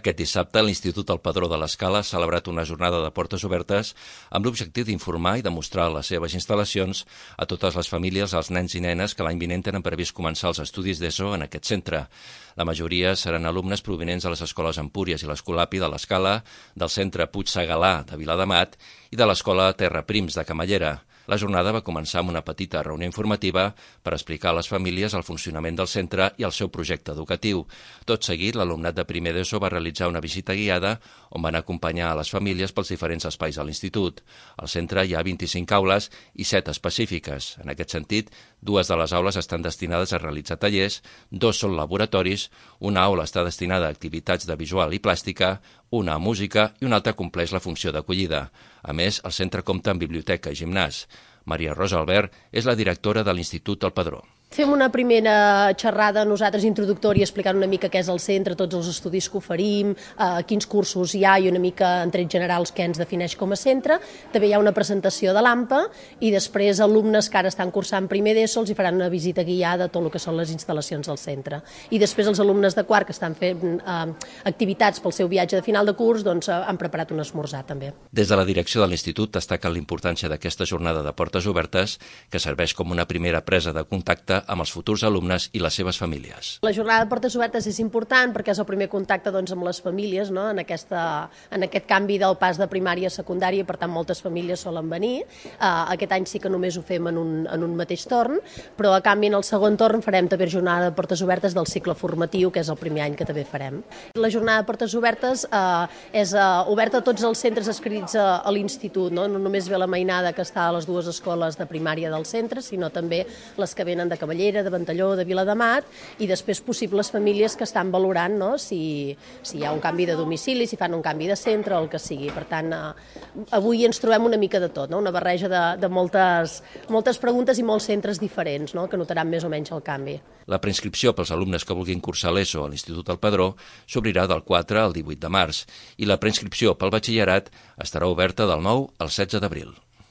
Aquest dissabte, l'Institut El Padró de l'Escala ha celebrat una jornada de portes obertes amb l'objectiu d'informar i demostrar les seves instal·lacions a totes les famílies, als nens i nenes que l'any vinent tenen previst començar els estudis d'ESO en aquest centre. La majoria seran alumnes provinents de les escoles Empúries i l'Escolapi de l'Escala, del centre Puig Segalà de Viladamat i de l'escola Terra Prims de Camallera. La jornada va començar amb una petita reunió informativa per explicar a les famílies el funcionament del centre i el seu projecte educatiu. Tot seguit, l'alumnat de primer d'ESO va realitzar una visita guiada on van acompanyar a les famílies pels diferents espais de l'institut. Al centre hi ha 25 aules i 7 específiques. En aquest sentit, 2 de les aules estan destinades a realitzar tallers, 2 són laboratoris, una aula està destinada a activitats de visual i plàstica, una a música i una altra compleix la funció d'acollida. A més, el centre compta amb biblioteca i gimnàs. Maria Rosa Albert és la directora de l'Institut El Padró. Fem una primera xerrada nosaltres introductòria explicant una mica què és el centre, tots els estudis que oferim, quins cursos hi ha i una mica en trets generals què ens defineix com a centre. També hi ha una presentació de l'AMPA i després alumnes que ara estan cursant primer d'ESO els hi faran una visita guiada a tot el que són les instal·lacions del centre. I després els alumnes de quart que estan fent activitats pel seu viatge de final de curs doncs, han preparat un esmorzar també. Des de la direcció de l'Institut destaquen l'importància d'aquesta jornada de portes obertes que serveix com una primera presa de contacte amb els futurs alumnes i les seves famílies. La jornada de portes obertes és important perquè és el primer contacte doncs, amb les famílies, no? en aquest canvi del pas de primària a secundària, per tant moltes famílies solen venir. Aquest any sí que només ho fem en un mateix torn, però a canvi en el segon torn farem també jornada de portes obertes del cicle formatiu, que és el primer any que també farem. La jornada de portes obertes és oberta a tots els centres adscrits a l'institut, no només ve la mainada que està a les 2 escoles de primària del centre, sinó també les que venen de Camallera, de Ventalló, de Viladamat, i després possibles famílies que estan valorant si hi ha un canvi de domicili, si fan un canvi de centre o el que sigui. Per tant, avui ens trobem una mica de tot, una barreja de moltes preguntes i molts centres diferents que notaran més o menys el canvi. La preinscripció pels alumnes que vulguin cursar l'ESO a l'Institut El Padró s'obrirà del 4 al 18 de març i la preinscripció pel batxillerat estarà oberta del 9 al 16 d'abril.